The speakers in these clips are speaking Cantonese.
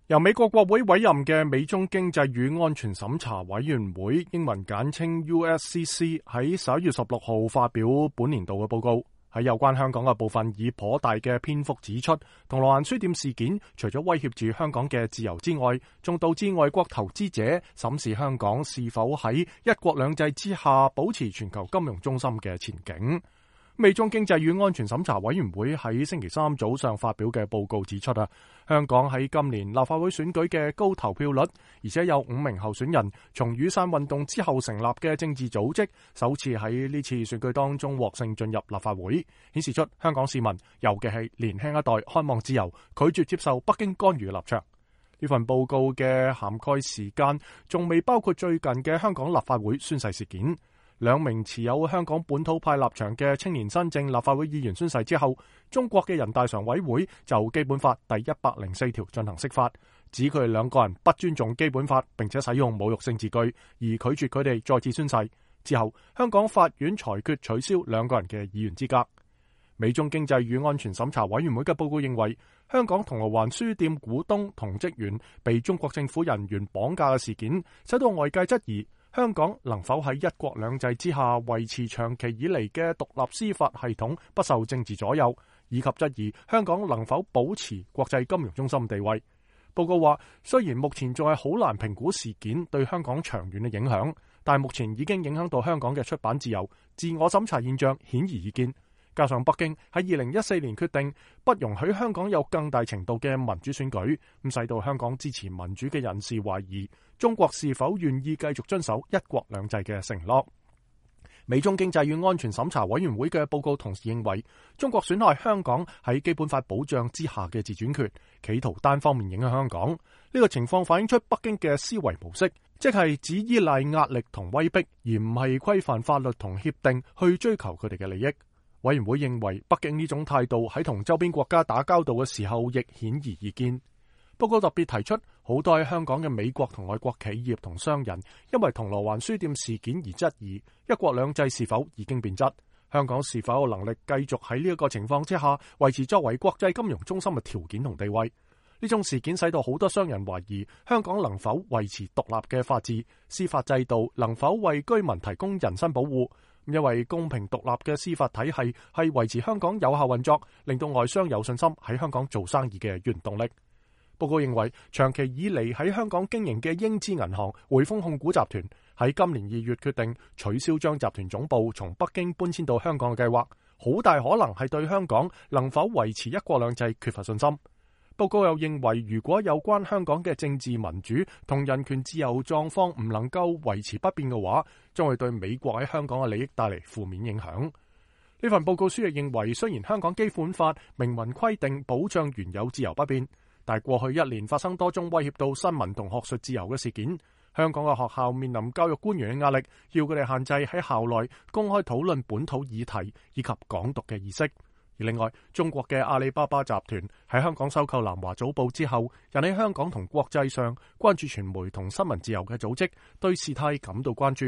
由美國國會委任嘅美中經濟與安全審查委員會（英文簡稱 USCC） 喺11月16號發表本年度嘅報告，喺有關香港嘅部分以頗大嘅篇幅指出，銅鑼灣書店事件除咗威脅住香港嘅自由之外，仲導致外國投資者審視香港是否喺一國兩制之下保持全球金融中心嘅前景。美中經濟與安全審查委員會喺星期三早上發表嘅報告指出，香港喺今年立法會選舉嘅高投票率，而且有5名候選人從雨傘運動之後成立嘅政治組織首次喺呢次選舉當中獲勝進入立法會，顯示出香港市民，尤其係年輕一代渴望自由，拒絕接受北京干預嘅立場。呢份報告嘅涵蓋時間仲未包括最近嘅香港立法會宣誓事件。2名持有香港本土派立場嘅青年新政立法會議員宣誓之後，中國嘅人大常委會就基本法第104條進行釋法，指佢哋2個人不尊重基本法，並且使用侮辱性字句，而拒絕佢哋再次宣誓。之後，香港法院裁決取消2個人嘅議員資格。美中經濟與安全審查委員會嘅報告認為，香港銅鑼灣書店股東同職員被中國政府人員綁架嘅事件，使到外界質疑香港能否喺一國兩制之下維持長期以嚟嘅獨立司法系統不受政治左右，以及質疑香港能否保持國際金融中心地位。報告話，雖然目前仲係好難評估事件對香港長遠嘅影響，但目前已經影響到香港嘅出版自由，自我審查現象顯而易見。加上北京喺2014年決定不容許香港有更大程度嘅民主選舉，咁使到香港支持民主嘅人士懷疑中國是否願意繼續遵守一國兩制嘅承諾。美中經濟與安全審查委員會嘅報告同時認為，中國損害香港喺基本法保障之下嘅自主權，企圖單方面影響香港。呢個情況反映出北京嘅思維模式，即係只依賴壓力同威逼，而唔係規範法律同協定去追求佢哋嘅利益。委員會認為，北京呢種態度喺同周邊國家打交道嘅時候亦顯而易見。報告特別提出，好多喺香港嘅美國同外國企業同商人，因為銅鑼灣書店事件而質疑一國兩制是否已經變質，香港是否有能力繼續喺呢一個情況之下維持作為國際金融中心嘅條件同地位。呢種事件使到好多商人懷疑香港能否維持獨立嘅法治，司法制度能否為居民提供人身保護。因為公平獨立嘅司法體系係維持香港有效運作，令到外商有信心喺香港做生意嘅原動力。報告認為，長期以嚟喺香港經營嘅英資銀行匯豐控股集團喺今年2月決定取消將集團總部從北京搬遷到香港嘅計劃，好大可能係對香港能否維持一國兩制缺乏信心。報告又認為，如果有關香港嘅政治民主同人權自由狀況唔能夠維持不變嘅話，將會對美國喺香港嘅利益帶嚟負面影響。呢份報告書亦認為，雖然香港基本法明文規定保障原有自由不變，但係過去1年發生多宗威脅到新聞同學術自由嘅事件，香港嘅學校面臨教育官員嘅壓力，要佢哋限制喺校內公開討論本土議題以及港獨嘅意識。而另外，中國嘅阿里巴巴集團喺香港收購南華早報之後，引起香港同國際上關注傳媒同新聞自由嘅組織對事態感到關注，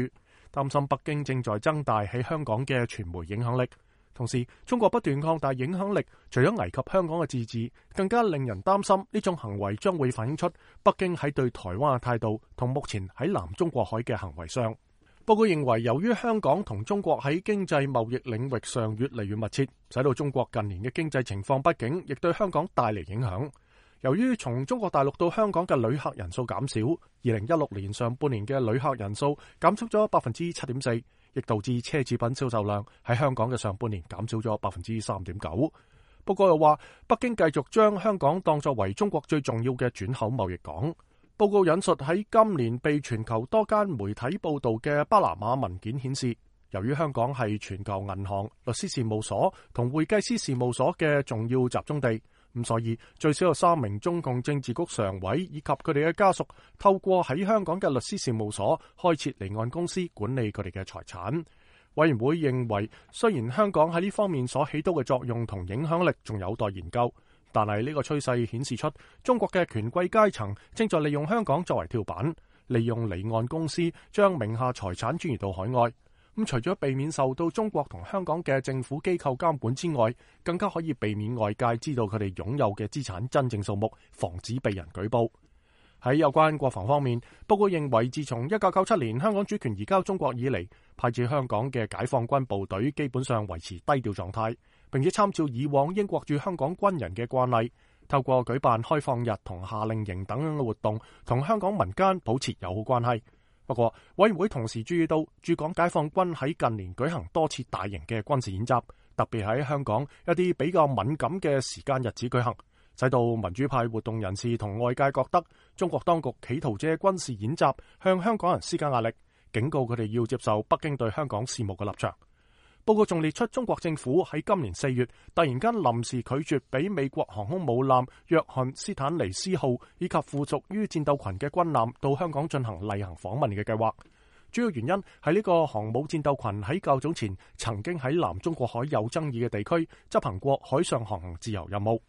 擔心北京正在增大喺香港嘅傳媒影響力。同時，中國不斷擴大影響力，除咗危及香港嘅自治，更加令人擔心呢種行為將會反映出北京喺對台灣嘅態度同目前喺南中國海嘅行為上。報告認為，由於香港同中國喺經濟貿易領域上越嚟越密切，使到中國近年嘅經濟情況不景，亦對香港帶嚟影響。由於從中國大陸到香港嘅旅客人數減少，2016年上半年嘅旅客人數減少咗 7.4%， 亦導致奢侈品銷售量喺香港嘅上半年減少咗 3.9%。報告又話，北京繼續將香港當作為中國最重要嘅轉口貿易港。報告引述喺今年被全球多間媒體報道嘅巴拿馬文件顯示，由於香港係全球銀行、律師事務所同會計師事務所嘅重要集中地，咁所以最少有3名中共政治局常委以及佢哋嘅家屬透過喺香港嘅律師事務所開設離岸公司管理佢哋嘅財產。委員會認為，雖然香港喺呢方面所起到嘅作用同影響力仲有待研究，但係呢個趨勢顯示出中國嘅權貴階層正在利用香港作為跳板，利用離岸公司將名下財產轉移到海外。咁除咗避免受到中國同香港嘅政府機構監管之外，更加可以避免外界知道佢哋擁有嘅資產真正數目，防止被人舉報。喺有關國防方面，報告認為自從1997年香港主權移交中國以嚟，派至香港嘅解放軍部隊基本上維持低調狀態，並且參照以往英國駐香港軍人嘅慣例，透過舉辦開放日同夏令營等嘅活動，同香港民間保持友好關係。不過，委員會同時注意到駐港解放軍喺近年舉行多次大型嘅軍事演習，特別喺香港一啲比較敏感嘅時間日子舉行，使到民主派活動人士同外界覺得中國當局企圖借軍事演習向香港人施加壓力，警告佢哋要接受北京對香港事務嘅立場。報告仲列出中國政府喺今年4月突然間臨時拒絕俾美國航空母艦約翰斯坦尼斯號以及附屬於戰鬥群嘅軍艦到香港進行例行訪問嘅計劃。主要原因係呢個航母戰鬥群喺較早前曾經喺南中國海有爭議嘅地區執行過海上航行自由任務。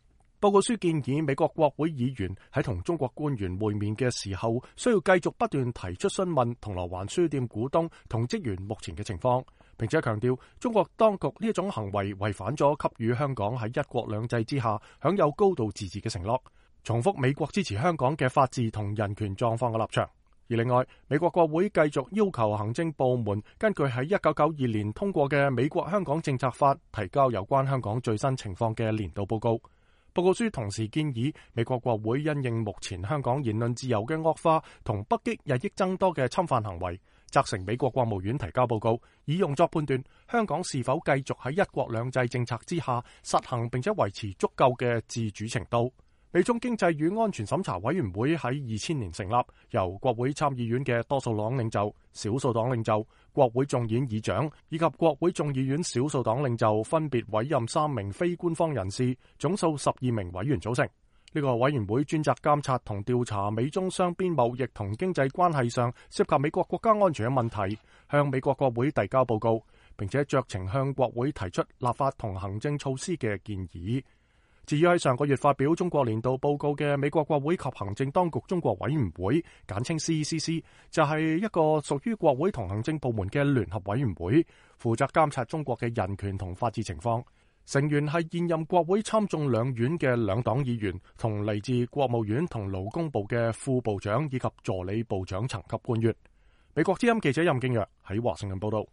報告書建議美國國會議員喺同中國官員會面嘅時候，需要繼續不斷提出詢問銅鑼灣書店股東同職員目前嘅情況，並且強調中國當局呢一種行為違反咗給予香港喺一國兩制之下享有高度自治嘅承諾，重複美國支持香港嘅法治同人權狀況嘅立場。而另外，美國國會繼續要求行政部門根據喺1992年通過嘅美國香港政策法提交有關香港最新情況嘅年度報告。報告書同時建議美國國會因應目前香港言論自由嘅惡化同北京日益增多嘅侵犯行為，責成美國國務院提交報告，以用作判斷香港是否繼續喺一國兩制政策之下實行並且維持足夠嘅自主程度。美中經濟與安全審查委員會喺2000年成立，由國會參議院嘅多數黨領袖、少數黨領袖、國會眾議院議長以及國會眾議院少數黨領袖分別委任3名非官方人士，總數12名委員組成。呢個委員會專責監察同調查美中雙邊貿易同經濟關係上涉及美國國家安全嘅問題，向美國國會遞交報告，並且酌情向國會提出立法同行政措施嘅建議。至於喺上個月發表中國年度報告嘅美國國會及行政當局中國委員會，簡稱 CECC， 就係一個屬於國會同行政部門嘅聯合委員會，負責監察中國嘅人權同法治情況。成員係現任國會參眾兩院嘅兩黨議員，同嚟自國務院同勞工部嘅副部長以及助理部長層級官員。美國之音記者任敬若喺華盛頓報道。